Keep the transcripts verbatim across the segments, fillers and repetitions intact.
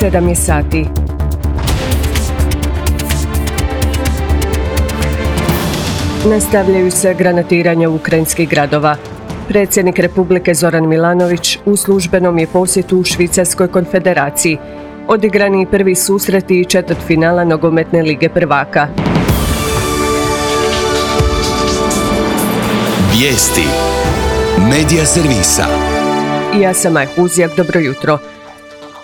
sedam je sati. Nastavljaju se granatiranja ukrajinskih gradova. Predsjednik Republike Zoran Milanović u službenom je posjetu u Švicarskoj konfederaciji. Odigrani i prvi susreti i četvrtfinala nogometne lige prvaka. Vijesti Medija servisa. Ja sam Maja Huzjak, dobro jutro.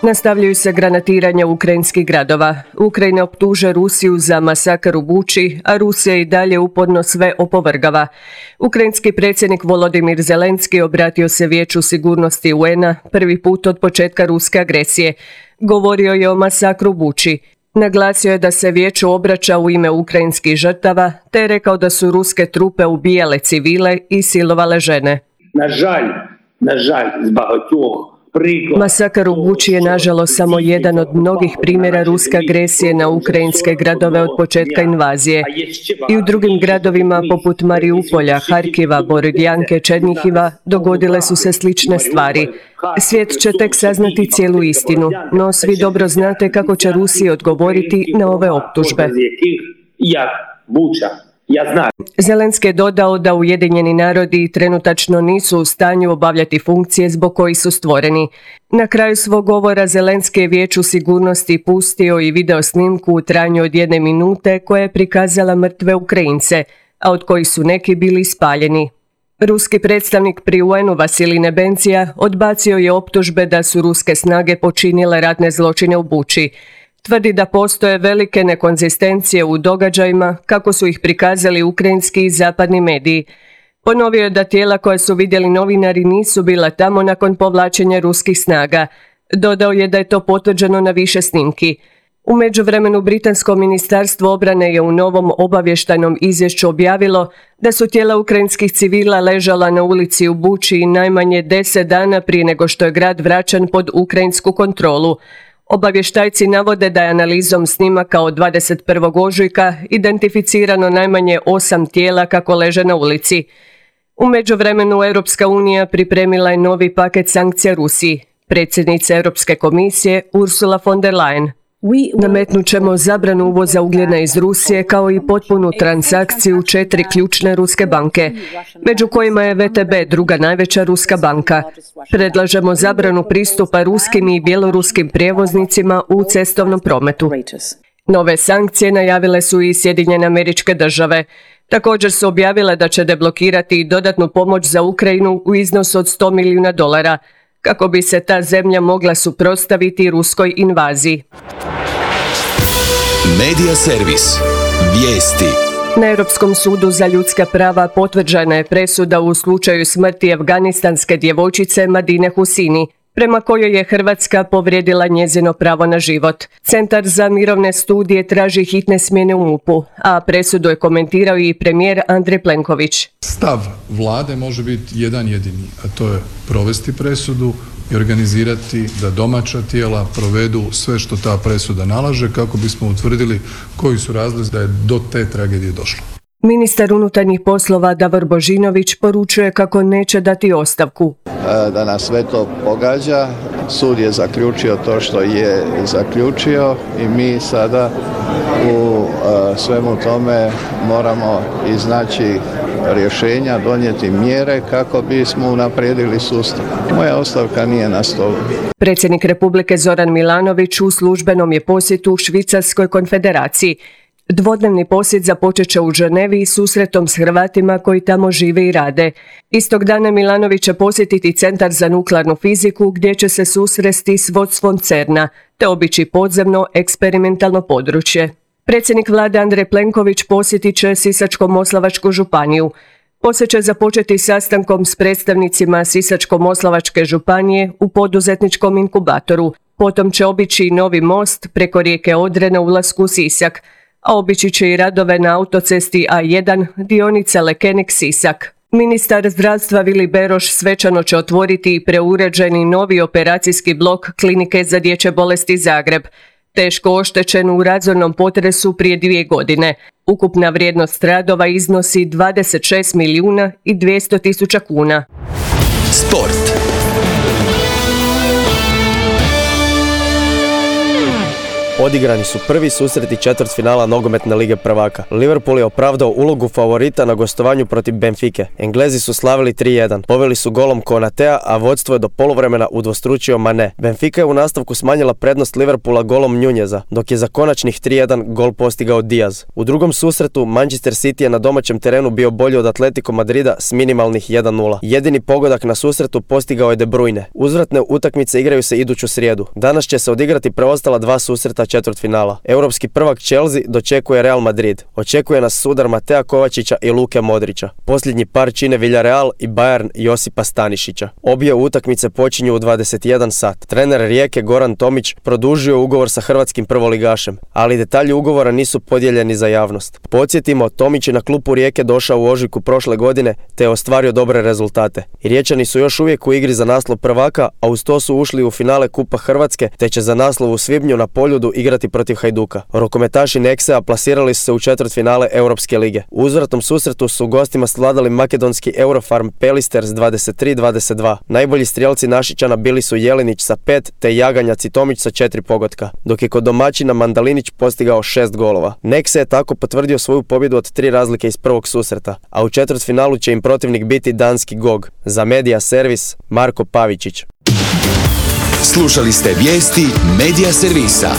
Nastavljaju se granatiranja ukrajinskih gradova. Ukrajina optuže Rusiju za masakr u Buči, a Rusija i dalje uporno sve opovrgava. Ukrajinski predsjednik Volodimir Zelenski obratio se Vijeću sigurnosti U N-a prvi put od početka ruske agresije. Govorio je o masakru u Buči. Naglasio je da se Vijeću obraća u ime ukrajinskih žrtava, te je rekao da su ruske trupe ubijale civile i silovale žene. Na žalj, na žalj, zbagotjuh. Masakar u Buči je nažalost samo jedan od mnogih primjera ruske agresije na ukrajinske gradove od početka invazije. I u drugim gradovima poput Mariupolja, Harkiva, Borodjanke, Černihiva dogodile su se slične stvari. Svijet će tek saznati cijelu istinu, no svi dobro znate kako će Rusija odgovoriti na ove optužbe. Zelenski je dodao da Ujedinjeni narodi trenutačno nisu u stanju obavljati funkcije zbog kojih su stvoreni. Na kraju svog govora Zelenski je Vijeću sigurnosti pustio i video snimku u trajanju od jedne minute koja je prikazala mrtve Ukrajince, a od kojih su neki bili spaljeni. Ruski predstavnik pri U N-u Vasilij Nebencija odbacio je optužbe da su ruske snage počinile ratne zločine u Buči. Tvrdi da postoje velike nekonzistencije u događajima kako su ih prikazali ukrajinski i zapadni mediji. Ponovio je da tijela koja su vidjeli novinari nisu bila tamo nakon povlačenja ruskih snaga. Dodao je da je to potvrđeno na više snimki. U međuvremenu Britansko ministarstvo obrane je u novom obavještajnom izvješću objavilo da su tijela ukrajinskih civila ležala na ulici u Buči najmanje deset dana prije nego što je grad vraćan pod ukrajinsku kontrolu. Obavještajci navode da je analizom snimaka od dvadeset prvog ožujka identificirano najmanje osam tijela kako leže na ulici. U međuvremenu Europska unija pripremila je novi paket sankcija Rusiji. Predsjednica Europske komisije Ursula von der Leyen. Nametnut ćemo zabranu uvoza ugljena iz Rusije kao i potpunu transakciju četiri ključne ruske banke, među kojima je V T B druga najveća ruska banka. Predlažemo zabranu pristupa ruskim i bjeloruskim prijevoznicima u cestovnom prometu. Nove sankcije najavile su i Sjedinjene Američke Države. Također su objavile da će deblokirati dodatnu pomoć za Ukrajinu u iznosu od sto milijuna dolara, kako bi se ta zemlja mogla suprotstaviti ruskoj invaziji. Medija servis. Vijesti. Na Europskom sudu za ljudska prava potvrđena je presuda u slučaju smrti afganistanske djevojčice Madine Husini, prema kojoj je Hrvatska povrijedila njezino pravo na život. Centar za mirovne studije traži hitne smjene u M U P-u, a presudu je komentirao i premijer Andrej Plenković. Stav vlade može biti jedan jedini, a to je provesti presudu i organizirati da domaća tijela provedu sve što ta presuda nalaže kako bismo utvrdili koji su razlozi da je do te tragedije došlo. Ministar unutarnjih poslova Davor Božinović poručuje kako neće dati ostavku. Da nas sve to pogađa, sud je zaključio to što je zaključio i mi sada u svemu tome moramo iznaći rješenja, donijeti mjere kako bismo unaprijedili sustav. Moja ostavka nije na stolu. Predsjednik Republike Zoran Milanović u službenom je posjetu u Švicarskoj konfederaciji. Dvodnevni posjet započet će u Ženevi i susretom s Hrvatima koji tamo žive i rade. Istog dana Milanović će posjetiti Centar za nuklearnu fiziku gdje će se susresti s vodstvom CERN-a te obići podzemno eksperimentalno područje. Predsjednik vlade Andrej Plenković posjetit će Sisačko-moslavačku županiju. Posjet će započeti sastankom s predstavnicima Sisačko-moslavačke županije u poduzetničkom inkubatoru. Potom će obići novi most preko rijeke Odre na ulasku u Sisak, a obići će i radove na autocesti A jedan dionica Lekenik-Sisak. Ministar zdravstva Vili Beroš svečano će otvoriti i preuređeni novi operacijski blok Klinike za dječje bolesti Zagreb, teško oštećen u razornom potresu prije dvije godine. Ukupna vrijednost radova iznosi dvadeset šest milijuna i dvjesto tisuća kuna. Sport. Odigrani su prvi susreti četvrtfinala nogometne lige prvaka. Liverpool je opravdao ulogu favorita na gostovanju protiv Benfike. Englezi su slavili tri jedan. Poveli su golom Konatea, a vodstvo je do poluvremena udvostručio Mane. Benfica je u nastavku smanjila prednost Liverpoola golom Nunjeza, dok je za konačnih tri jedan gol postigao Diaz. U drugom susretu Manchester City je na domaćem terenu bio bolji od Atletico Madrida s minimalnih jedan nula. Jedini pogodak na susretu postigao je De Bruyne. Uzvratne utakmice igraju se iduću srijedu. Danas će se odigrati preostala dva susreta četvrtfinala. Europski prvak Chelsea dočekuje Real Madrid. Očekuje nas sudar Matea Kovačića i Luke Modrića. Posljednji par čine Villarreal i Bayern Josipa Stanišića. Obje utakmice počinju u dvadeset jedan sat. Trener Rijeke Goran Tomić produžio ugovor sa hrvatskim prvoligašem, ali detalji ugovora nisu podijeljeni za javnost. Podsjetimo, Tomić je na klupu Rijeke došao u ožujku prošle godine te je ostvario dobre rezultate. I Riječani su još uvijek u igri za naslov prvaka, a uz to su ušli u finale Kupa Hrvatske te će za naslov u svibnju na Poljudu igrati protiv Hajduka. Rokometaši Nexea plasirali su se u četvrtfinale Europske lige. U uzvratnom susretu su gostima svladali makedonski Eurofarm Pelister s dvadeset tri dvadeset dva. Najbolji strijelci Našičana bili su Jelinić sa pet te Jaganjac i Tomić sa četiri pogotka, dok je kod domaćina Mandalinić postigao šest golova. Nexe je tako potvrdio svoju pobjedu od tri razlike iz prvog susreta, a u četvrtfinalu će im protivnik biti danski Gog. Za Media Servis, Marko Pavičić. Slušali ste vijesti Media Servisa.